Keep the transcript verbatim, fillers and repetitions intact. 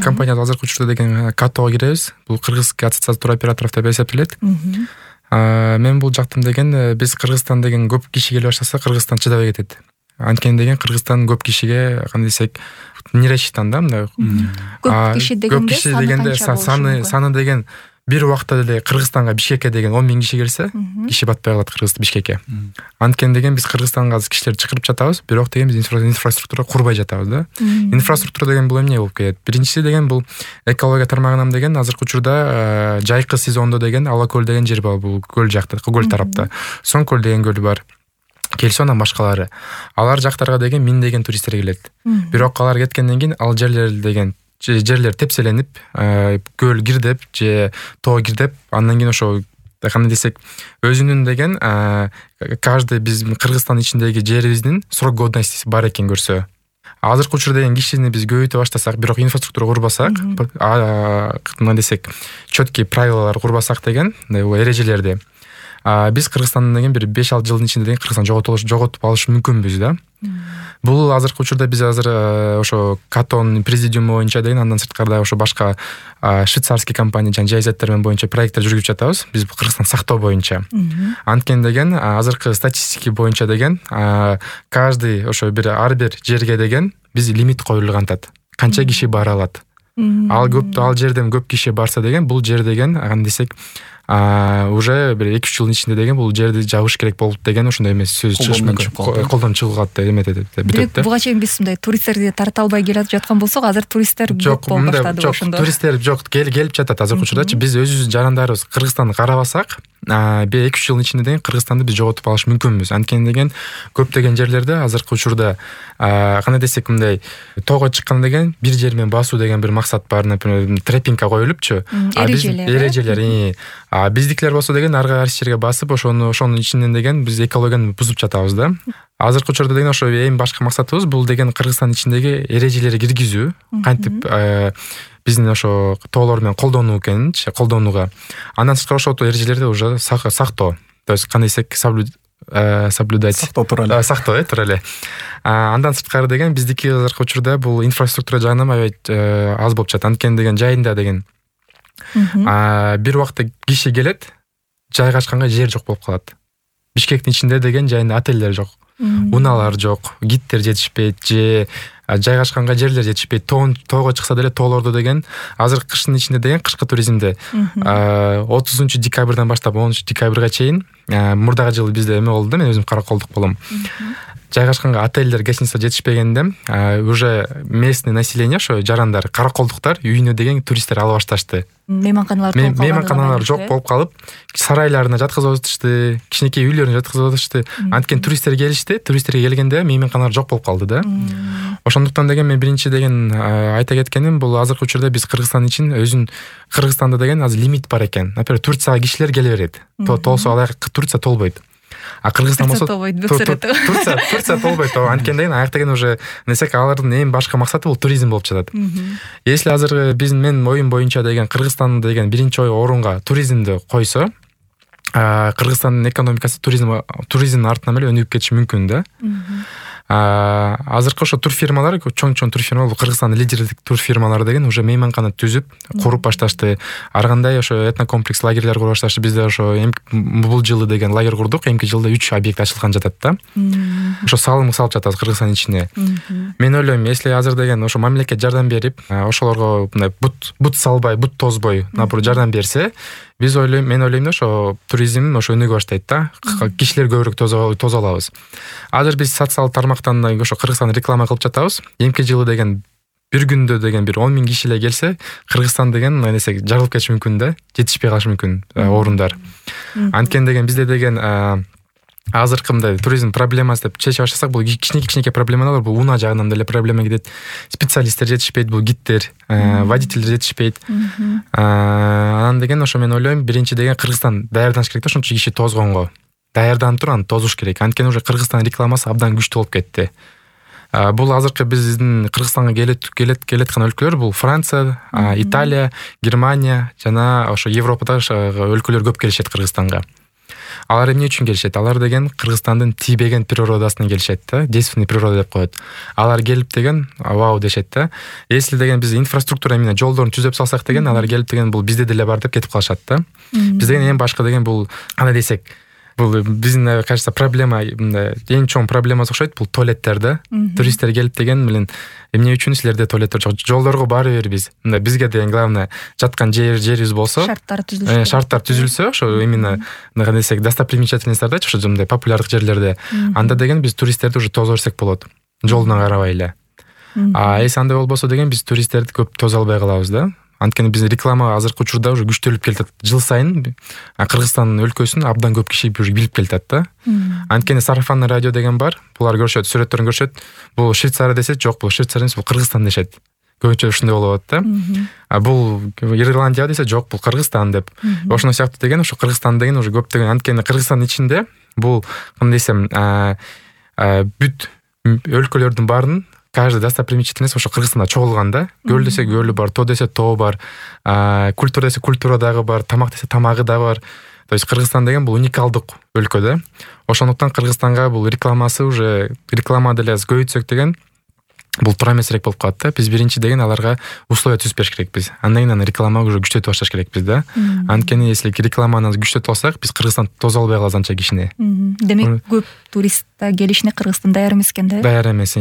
компания азыркы учурда деген катого киребиз. Бул Кыргызский ассоциация туроператоров деп эсептелет. Мен бул жактым деген биз Кыргызстан деген көп киши келе баштаса Кыргызстан чыдабай кетет. Анткени деген Кыргызстан көп кишиге кандай десек не рассчитан да мындай. Көп киши дегенде саны саны деген бир убакта деле Кыргызстанга Бишкекке деген он миң киши келсе, киши батпай калат Кыргызстан Бишкекке. Анткени деген биз Кыргызстанга азыр кишилерди чакырып жатабыз, бирок деген биз инфраструктура курбай жатабыз да. Инфраструктура деген бул эмне болуп келет? Биринчиси деген бул экология тармагынан деген азыркы учурда жайкы сезондо деген Ала көл деген жер бар, бул көл жакта, көл тарапта. Соң көл деген көл бар. Келсе анан башкалары. Алар жактарга деген миңдеген туристтер келет. Бирок алар кеткенден кийин ал жерлер деген жерлер тепселенип, көл кирдеп же тоо кирдеп, андан кийин ошо кандай десек, өзүнүн деген каждый биз Кыргызстан ичиндеги жерибиздин срок годностиси бар экен көрсө. Азыркы учурда деген кишини биз көбөйтө баштасак, бирок инфраструктура курбасак, мындай десек, чөткий правилалар курбасак деген, эрежелерди, биз Кыргызстандын деген бир беш алты жылдын ичинде деген Кыргызстан жоготуп алыш мүмкүнбүз да. Бул азыркы учурда биз азыр ошо Катонун президиуму боюнча деген андан сырткары ошо башка швейцарский компания жана жайзаттар менен боюнча проекттер жүргүзүп жатабыз. Биз Кыргызстан сактоо боюнча. Анткени деген азыркы статистика боюнча деген каждый ошо бир ар бир жерге деген биз лимит коюлган атат. Канча киши бара алат. Ал көп ал жерден көп киши барса деген бул жер деген кандай десек уже бир эки үч жылдын ичинде деген бул жерди жабыш керек болуп деген ошондой эмес сөз чыгыш мүмкүн. Колдон чыгылат деп эметет. Бирок буга чейин биз мындай туристтерди тарта албай келип жаткан болсок, азыр туристтер көп болуп баштады ошондо. Туристтер жок, келип жатат азыркы учурдачы. Биз өзүбүздүн жарандарыбыз Кыргызстанды карабасак, бир эки үч жылдын ичинде деген Кыргызстанды биз жоготуп алыш мүмкүнбүз. Анткени деген көптөгөн жерлерде азыркы учурда кандай десек мындай тоого чыкканда деген бир жер менен басуу деген бир максат бар, например, трекингке коюлупчу. Эрежелер. А биздикилер болсо деген ар кайсы жерге басып, ошону ошонун ичинен деген биз экологияны бузуп жатабыз да. Азыркы учурда деген ошо эң башкы максатыбыз бул деген Кыргызстан ичиндеги эрежелерди киргизүү, кантип биздин ошо тоолор менен колдонуу экенинчи, колдонууга. Андан сырткары ошол эрежелерди уже сактоо. То есть кандай десек, соблюдать. Сактоо тууралуу. Сактоо, э, тууралуу. Андан сырткары деген биздики азыркы учурда бул инфраструктура жагынан аябай аз болуп жатат. Анткени деген жайында деген бир убакта киши келет, жайгашканга жер жок болуп калат. Бишкектин ичинде деген жайында отелдер жок, унаалар жок, гидтер жетишпейт же жайгашканга жерлер жетишпейт. Тоого чыкса деле тоолордо деген азыр кыштын ичинде деген кышкы туризмде отузунчу декабрдан баштап онунчу декабрга чейин, мурдагы жылы бизде эме болду да, мен өзүм караколдук болом. Жайгашканга отелдер, гостиница жетишпегенде уже местный население, ошо жарандар, караколдуктар үйүнө деген туристтер ала башташты. Мейманканалар толуп калган. Мейманканалар жок болуп калып, сарайларына жаткызып атышты, кичинекей үйлөрүнө жаткызып атышты. Анткени туристтер келишти, туристтерге келгенде мейманканалар жок болуп калды да. Ошондуктан деген мен биринчи деген айта кеткеним, бул азыркы учурда биз Кыргызстан үчүн өзүн Кыргызстанда деген азыр лимит бар экен. Например, Турцияга кишилер келе берет. Толсо алай Турция толбойт. А Кыргызстан болсо Турция Турция толбойт. Анткени деген аякта деген уже несек алардын эң башкы максаты бул туризм болуп жатат. Если азыр биздин менин оюм боюнча деген Кыргызстан деген биринчи орунга туризмди койсо, Кыргызстандын экономикасы туризм туризмдин артынан эле өнүгүп кетиши мүмкүн да. Азыркы ошо тур фирмалар, чоң-чоң тур фирмалар, Кыргызстандын лидердик тур фирмалары деген уже мейманкана түзүп, куруп башташты. Ар кандай ошо этнокомплекс лагерлер куруп башташты. Бизде ошо бул жылы деген лагерь курдук, эмки жылда үч объект ачылган жатат да. Ошо салым салып жатабыз Кыргызстан ичине. Мен ойлойм, если азыр деген ошо мамлекет жардам берип, ошолорго мындай бут бут салбай, бут тозбой, например, жардам берсе, биз ойлойм, мен ойлойм да ошо туризм ошо өнүгө баштайт да. Кишилер көбүрөөк тозо алабыз. Азыр биз социалдык тармактан ошо Кыргызстан реклама кылып жатабыз. Эмки жылы деген бир күндө деген бир он миң киши эле келсе, Кыргызстан деген мындай десек жарылып кетиши мүмкүн да, жетишпей калышы мүмкүн орундар. Анткени деген бизде деген азыркы мындай туризм проблемасы деп чечип баштасак, бул кичинекей-кичинекей проблемалар, бул унаа жагынан деле проблема кетет. Специалисттер жетишпейт, бул гидтер, водительдер жетишпейт. Анан деген ошо мен ойлойм, биринчи деген Кыргызстан даярданыш керек да, ошончо киши тозгонго. Даярданып туруп аны тозуш керек. Анткени уже Кыргызстан рекламасы абдан күчтүү болуп кетти. Бул азыркы биздин Кыргызстанга келет келет келеткан өлкөлөр бул Франция, Италия, Германия жана ошо Европадагы өлкөлөр көп келишет Кыргызстанга. Алар эмне үчүн келишет? Алар деген Кыргызстандын тийбеген природасына келишет да, действенный природа деп коет. Алар келип деген вау дешет да. Если деген биз инфраструктура менен жолдорун түзөп салсак деген, алар келип деген бул бизде деле бар деп кетип калышат да. Биз деген эң башкы деген бул кандай десек, бул биздин кажется проблема, эң чоң проблемасы окшойт, бул туалеттер да. Туристтер келип деген менен эмне үчүн силерде туалеттер жок? Жолдорго баары бир биз. Мындай бизге деген главное жаткан жер жерибиз болсо, шарттар түзүлсө, шарттар түзүлсө, ошо именно кандай десек, достопримечательностьтарда, ошо мындай популярдык жерлерде, анда деген биз туристтерди уже тосо берсек болот. Жолуна карабай эле. А эс андай болбосо деген биз туристтерди көп тозо албай калабыз да. Анткени биздин реклама азыркы учурда уже күчтөлүп келатат. Жыл сайын Кыргызстандын өлкөсүн абдан көп киши уже билип келатат да. Анткени сарафанный радио деген бар. Булар көрүшөт, сүрөттөрүн көрүшөт. Бул Швейцария десет, жок, бул Швейцария эмес, бул Кыргызстан дешет. Көбүнчө ушундай болуп атат да. А бул Ирландия десе, жок, бул Кыргызстан деп. Ошондой сыяктуу деген, ошо Кыргызстан деген уже көп деген. Анткени Кыргызстандын ичинде бул кандай десем, бүт өлкөлөрдүн баарынын каждый достопримечательность ошо Кыргызстанда чогулган да. Көл десе көлү бар, тоо десе тоо бар, культура десе культура дагы бар, тамак десе тамагы да бар. То есть Кыргызстан деген бул уникалдык өлкө да. Ошондуктан Кыргызстанга бул рекламасы уже реклама деле көбөйтсөк деген бул туура эмесирээк болуп калат да. Биз биринчи деген аларга условия түзүп бериш керекпиз. Андан кийин реклама уже күчтөтүп башташ керекпиз да. Анткени если рекламаны түзүп алсак, биз Кыргызстан тозо албай калабыз анча кишини. Демек көп турист келишине Кыргызстан даяр эмес экен да. Даяр эмес.